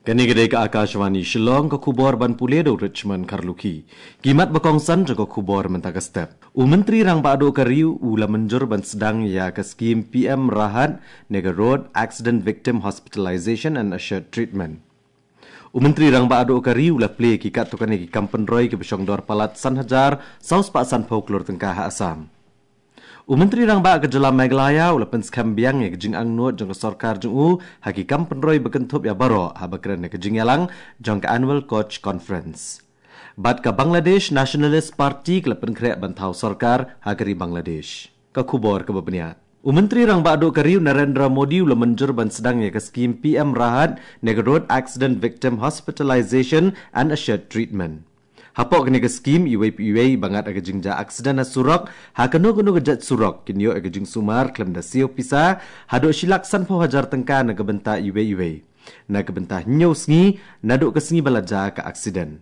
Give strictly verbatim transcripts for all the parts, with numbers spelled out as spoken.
Kane ka dei ka Akashvani Shillong, ka khubor ban pule da u Richmond Kharlukhi. Ki mat ba kongsan jong ka khubor mynta ka step. U Myntri Rangbah Duh ka ri u la mynjur ban sdang ïa ka skim P M Rahat ne ka Road Accident Victim Hospitalization and Assured Treatment. U Myntri Rangbah Duh ka ri u la plie ïa ki katto katne ki kam pynroi kiba shong dor palat san hajar saw spah sanphew klur tyngka ha Assam. U Myntri Rangbah ka jylla Meghalaya u la pynskhem biang ïa ka jingangnud jong ka sorkar jong u ha ki kam pynroi ba kynthup ïa baroh haba kren ha ka jingïalang jong ka Annual Koch Conference. Bad ka Bangladesh Nationalist Party ka la pynkhreh ban thaw sorkar ha ka ri Bangladesh. Ka khubor kaba bniah. U Myntri Rangbah Duh ka ri u Narendra Modi u la mynjur ban sdang ïa ka skim P M Rahat ne ka Road Accident Victim Hospitalization and Assured Treatment. Hapoh kane ka skim iwei pa iwei ba ngat ha ka jingjia aksiden ha surok, ha kano kano ka jait surok, kin ïoh ïa ka jingsumar khlem da siew pisa haduh shi lak sanphew hajar tyngka na ka bynta iwei iwei. Na ka bynta hynñiew sngi naduh ka sngi ba la jia ka aksiden.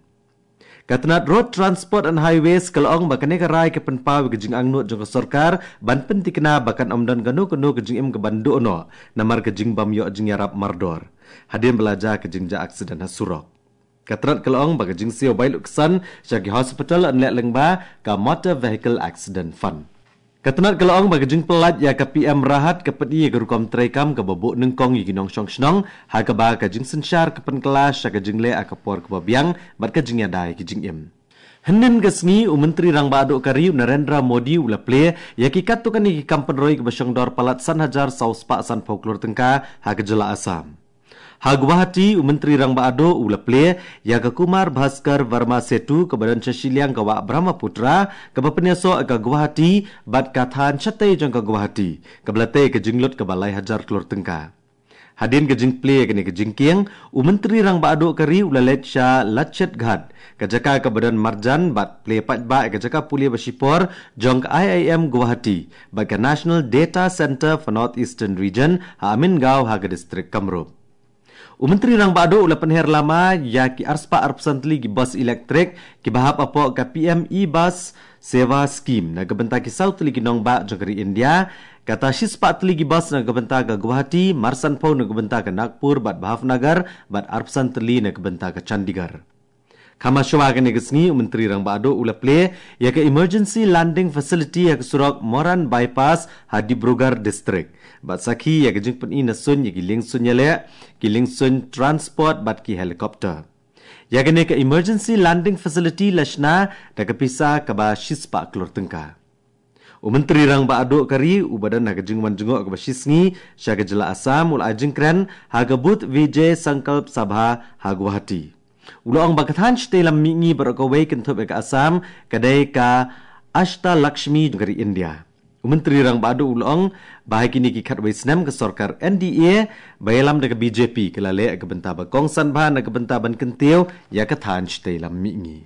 Ka tnat Road Transport and Highways ka la ong ba kane ka rai ka pynpaw ïa ka jingangnud jong ka sorkar ban pynthikna ba kan ym don kano kano ka jingim kaban duh noh namar ka jingbym ïoh jingïarap mardor hadien ba la jia ka jingjia aksiden ha surok. Ka tnat ka la ong ba ka jingsiew bai lutksan sha ki hospital yn leh lyngba ka Motor Vehicle Accident Fund. Ka tnat ka la ong ba ka jingpyllait ïa ka P M Rahat ka pyni ïa ka rukom treikam kaba buh nyngkong ïa ki nongshong shnong, ha kaba ka jingsynshar ka pynkylla sha ka jingleh ha ka por kaba biang bad ka jingïada ïa ki jingim. Hynnin ka sngi u Myntri Rangbah Duh ka ri u Narendra Modi u la plie ïa ki katto katne ki kam pynroi kiba shong dor palat san hajar saw spah sanphew klur tyngka ha ka jylla Assam. Ha Guwahati, u Myntri Rangbah Duh u la plie ïa ka Kumar Bhaskar Verma Setu kaba don sha shiliang ka wah Brahmaputra kaba pynïasoh ïa ka Guwahati bad ka thaiñ shatei jong ka Guwahati, kaba la tei ïa ka jinglut kaba lai hajar klur tyngka. Hadien ka jingplie ïa kane ka jingkieng, u Myntri Rangbah Duh ka ri u la leit sha Lachit Ghat, ka jaka kaba don marjan bad plie paidbah ïa ka jaka pule ba shipor jong ka I I M Guwahati bad ka National Data Centre for North Eastern Region ha Amingaon ha ka distrik Kamrup. U Myntri Rangbah Duh u la pynher lama ïa ki arspah arphew san tylli ki bus elektrik kiba hap hapoh ka P M E Bus Seva Scheme na ka bynta ki saw tylli ki nongbah jong ka ri India, kata shispah tylli ki bus na ka bynta ka Guwahati, marsanphew na ka bynta ka Nagpur bad Bhavnagar, bad arphew san tylli na ka bynta ka Chandigarh. Kham shuwa kane ka sngi u Myntri Rangbah Duh u la plie ïa ka Emergency Landing Facility ha ka surok Moran Bypass ha Dibrugarh District bad sakhi ïa ka jingpyni na suiñ ïa ki liengsuiñ ïaleh, ki liengsuiñ transport bad ki helicopter. Ïa kane ka Emergency Landing Facility la shna da ka pisa kaba shispah klur tyngka. U Myntri Rangbah Duh ka ri uba don ha ka jingwan jngoh kaba shisngi sha ka jylla Assam u la ai jingkren ha ka Booth Vijay Sankalp Sabha ha Guwahati. U la ong ba ka thaiñ shatei lam mihngi baroh kawei kynthup ïa ka Assam ka dei ka Ashtalakshmi jong ka ri India. U Myntri Rangbah Duh u la ong ba ha kine ki khatwei snem ka sorkar N D A ba ïalam da ka B J P ka la leh ïa ka bynta ba kongsan bha na ka bynta ban kyntiew ïa ka thaiñ shatei lam mihngi.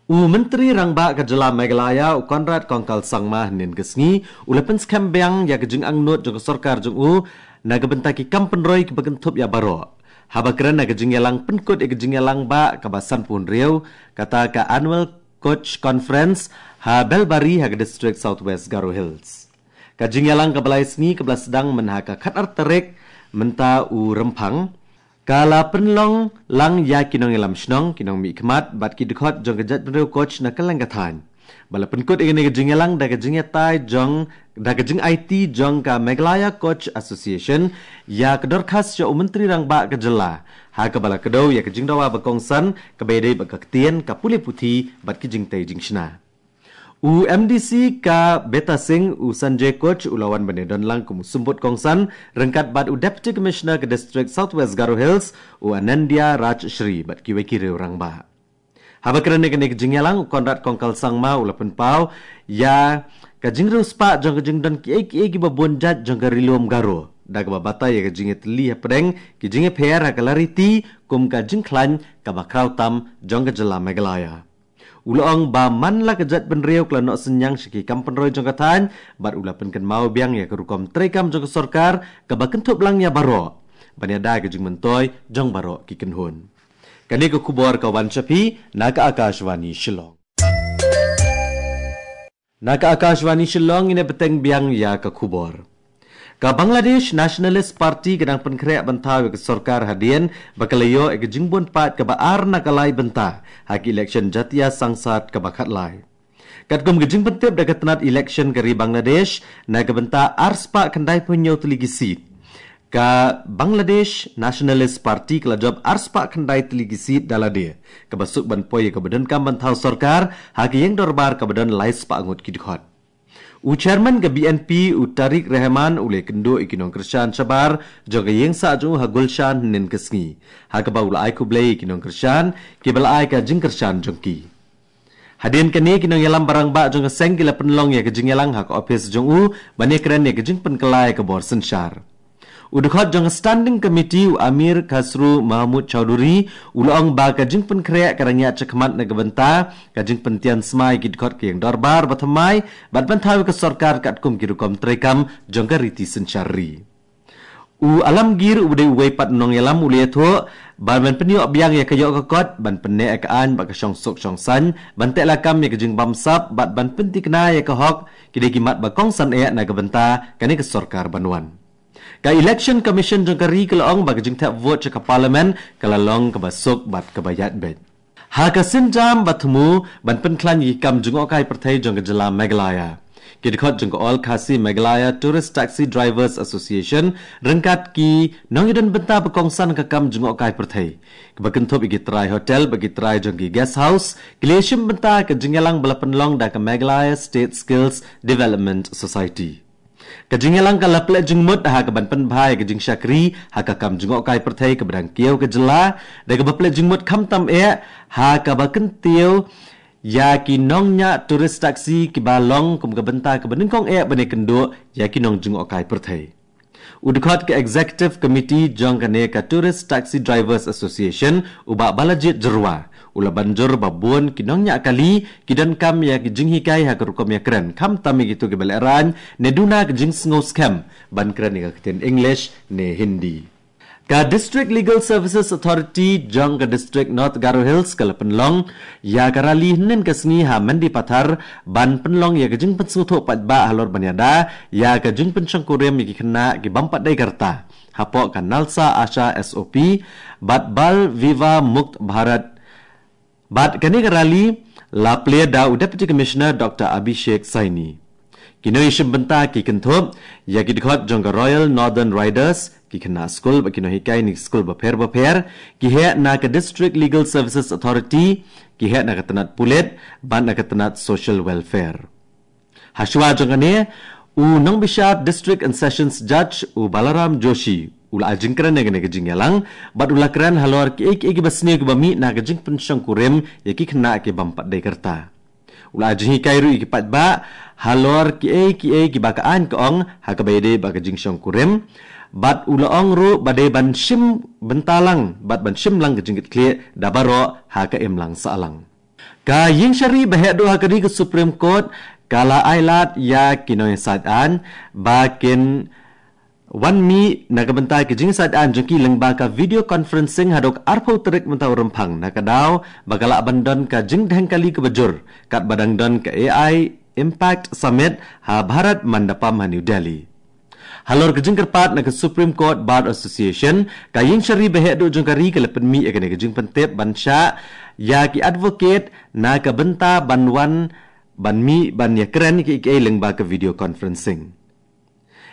U Myntri Rangbah ka jylla Meghalaya u Conrad Kongkal Sangma hynnin ka sngi u la pynskhem biang ïa ka jingangnud jong ka sorkar jong u na ka bynta ki kam pynroi kiba kynthup ïa baroh, haba kren ha ka jingïalang pynkut ïa ka jingïalang bah kaba sanphew hynriew, kata ka Annual Koch Conference ha Belbari ha ka distrik South West Garo Hills. Ka jingïalang kaba lai sngi kaba la sdang mynha ka khatar tarik mynta u Rymphang ka la pynlong lang ïa ki nongïalam shnong, ki nongmihkhmat bad ki dkhot jong ka jaitbynriew Koch na kylleng ka thaiñ. Ba la pynkut ïa kane ka jingïalang da ka jingïatai jong, da ka jingaiti jong ka Meghalaya Koch Association ïa ka dorkhas sha u Myntri Rangbah ka jylla, ha kaba la kdew ïa ka jingdawa ba kongsan kaba ïadei bad ka ktien, ka pule puthi bad ki jingtei jingshna. U M D C ka Betasing, u Sanjay Koch, u la wan ban ïadon lang kum u symbud kongsan ryngkat bad u Deputy Commissioner ka distrik South West Garo Hills, u Anandya Rajshri, bad kiwei ki riew rangbah. Haba kren ha kane ka jingïalang, u Conrad Kongkal Sangma u la pynpaw ïa ka jingriewspah jong ka jingdon kiei kiei kiba bun jait jong ka Ri Lum Garo, da kaba batai ïa ka jingïatylli hapdeng ki jingïapher ha ka lariti kum ka jingkhlaiñ kaba khraw tam jong ka jylla Meghalaya. U la ong ba man la ka jaitbynriew ka la noh synñiang sha ki kam pynroi jong ka thaiñ, bad u la pynkynmaw biang ïa ka rukom treikam jong ka sorkar kaba kynthup lang ïa baroh, ban ïada ïa ka jingmyntoi jong baroh ki kynhun. Kane ka khubor ka wan sha phi na ka Akashvani Shillong. Na ka Akashvani Shillong ngin ïa bteng biang ïa ka khubor. Ka Bangladesh Nationalist Party ka dang pynkhreh ban thaw ïa ka sorkar hadien ba ka la ïoh ïa ka jingbun paid kaba ar na ka lai bynta ha ka election Jatiya Sangsad kaba khatlai. Katkum ka jingpyntip da ka tnat election ka ri Bangladesh, na ka bynta arspah khyndai phew hynñiew tylli ki seat, ka Bangladesh Nationalist Party ka la jop arspah khyndai tylli ki seat da lade, kaba suk ban poi ïa kaba donkam ban thaw sorkar ha ka ïing dorbar kaba don laispah ngut ki dkhot. U chairman ka B N P, u Tariq Rahman, u la ïakynduh ïa ki nongkyrshan shabar jong ka ïing sah jong u ha Gulshan hynnin ka sngi, ha kaba u la ai khublei ïa ki nongkyrshan kiba la ai ka jingkyrshan jong ki. Hadien kane, ki nongïalam barangbah jong ka seng ki la pynlong ïa ka jingïalang ha ka ophis jong u ban ïakren ïa ka jingpynkylla ïa ka bor synshar. U dkhot jong ka Standing Committee, u Amir Khasru Mahmud Chowdhury, u la ong ba ka jingpynkhreh ka dang ïaid shakhmat na ka bynta ka jingpyntian smai ki dkhot ka ïing dorbar bathymmai bad ban thaw ïa ka sorkar katkum ki rukom treikam jong ka riti synshar ri. U Alamgir, u dei uwei pat u nongïalam, u la ïathuh ba ban pynïoh biang ïa ka ïoh ka kot, ban pynneh ïa ka aiñ bad ka shongsuk shongsaiñ, ban teh lakam ïa ka jingbamsap bad ban pynthikna ïa ka hok, ki dei ki mat ba kongsan eh na ka bynta kane ka sorkar ban wan. Ka Election Commission jong ka ri ka la ong ba ka jingthep vote sha ka Parliament ka la long kaba suk bad kaba ïaid beit. Ha ka sienjam ba thmu ban pynkhlaiñ ïa ki kam jngohkai pyrthei jong ka jylla Meghalaya, ki dkhot jong ka All Khasi Meghalaya Tourist Taxi Drivers Association ryngkat ki nongïadon bynta ba kongsan ka kam jngohkai pyrthei, kaba kynthup ïa ki trai hotel bad ki trai jong ki guest house, ki la shim bynta ka jingïalang ba la pynlong da ka Meghalaya State Skills Development Society. Ka jingïalang ka la pynleit jingmut ha kaban pynbha ïa ka jingshakri ha ka kam jngohkai pyrthei kaba dang kiew ka jylla, da kaba pynleit jingmut khamtam eh ha kaba kyntiew ïa ki nongñiah tourist taxi kiba long kum ka bynta kaba nyngkong eh ban ïakynduh ïa ki nongjngohkai pyrthei. U dkhot ka Executive Committee jong kane ka Tourist Taxi Drivers Association, u Bah Balajied Jyrwa, u la ban jur ba bun ki nongñiah kali ki donkam ïa ki jinghikai ha ka rukom ïakren, khamtam ïa kito kiba lehraiñ ne duna ka jingsngew skhem ban kren ïa ka ktien English ne Hindi. Ka District Legal Services Authority jong ka District North Garo Hills ka la pynlong ïa ka rally hynnin ka sngi ha Mendipathar ban pynlong ïa ka jingpynsngewthuh paidbah halor ban ïada ïa ka jingpynshongkurim ïa ki khynnah ki bym pat dei ka rta hapoh ka NALSA ASHA S O P bad Bal Vivah Mukt Bharat. Bad kane ka rally la plie da u Deputy Commissioner Doctor Abhishek Saini. Ki nongïashim bynta ki kynthup ïa ki dkhot jong ka Royal Northern Riders, ki khynnah skul bad ki nonghikai na ki skul bapher bapher, ki heh na ka District Legal Services Authority, ki heh na ka tnat pulit bad na ka tnat Social Welfare. Hashwa jong kane, u nongbishar District and Sessions Judge, u Balaram Joshi, u la ai jingkren ïa kane ka jingïalang bad u la kren halor kiei kiei kiba sniew kiba mih na ka jingpynshongkurim ïa ki khynnah ki bym pat dei ka rta. U la ai jinghikai ruh ïa ki paidbah halor kiei kiei kiba ka aiñ ka ong ha kaba ïadei bad ka jingshongkurim, bad u la ong ruh ba dei ban shim bynta lang bad ban shim lang ka jingkitkhlieh da baroh ha ka imlang sahlang. Ka ïingshari ba heh duh ha ka ri, ka Supreme Court, ka la ai lad ïa ki nongïasaid aiñ ba kin wan mih na ka bynta ka jingïasaid aiñ jong ki lyngba ka video conferencing haduh arphew tarik mynta u Rymphang, na ka daw ba ka lah ban don ka jingdheng kali kaba jur katba dang don ka A I Impact Summit ha Bharat Mandapam ha New Delhi. Halor ka jingkyrpad na ka Supreme Court Bar Association, ka ïingshari ba heh duh jong ka ri ka la pynmih ïa kane ka jingpyntip ban shah ïa ki advocate na ka bynta ban wan ban mih ban ïakren kiei kiei lyngba ka video conferencing.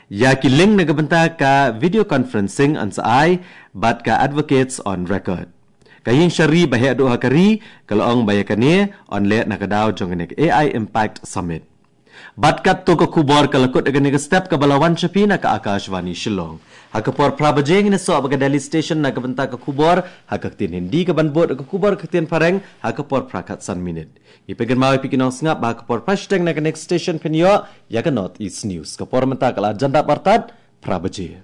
Ïa ki link na ka bynta ka video conferencing yn sa ai bad ka advocates on record. Ka ïingshari ba heh duh ha ka ri ka la ong ba ïa kane yn leh na ka daw jong kane ka A I Impact Summit. Bad katto ka khubor ka la kut ha kane ka step kaba la wan sha phi na ka Akashvani Shillong. Ha ka por phra baje ngin ïasoh bad ka Delhi Station na ka bynta ka khubor ha ka ktien Hindi, kaban bud ka khubor ka ktien Phareng ha ka por phra khatsan minit. Ngi pynkynmaw ïa phi ki nongsngap ba ha ka por phra shiteng na ka next station phin ïoh ïa ka North East News. Ka por mynta ka la jan dap artat phra baje.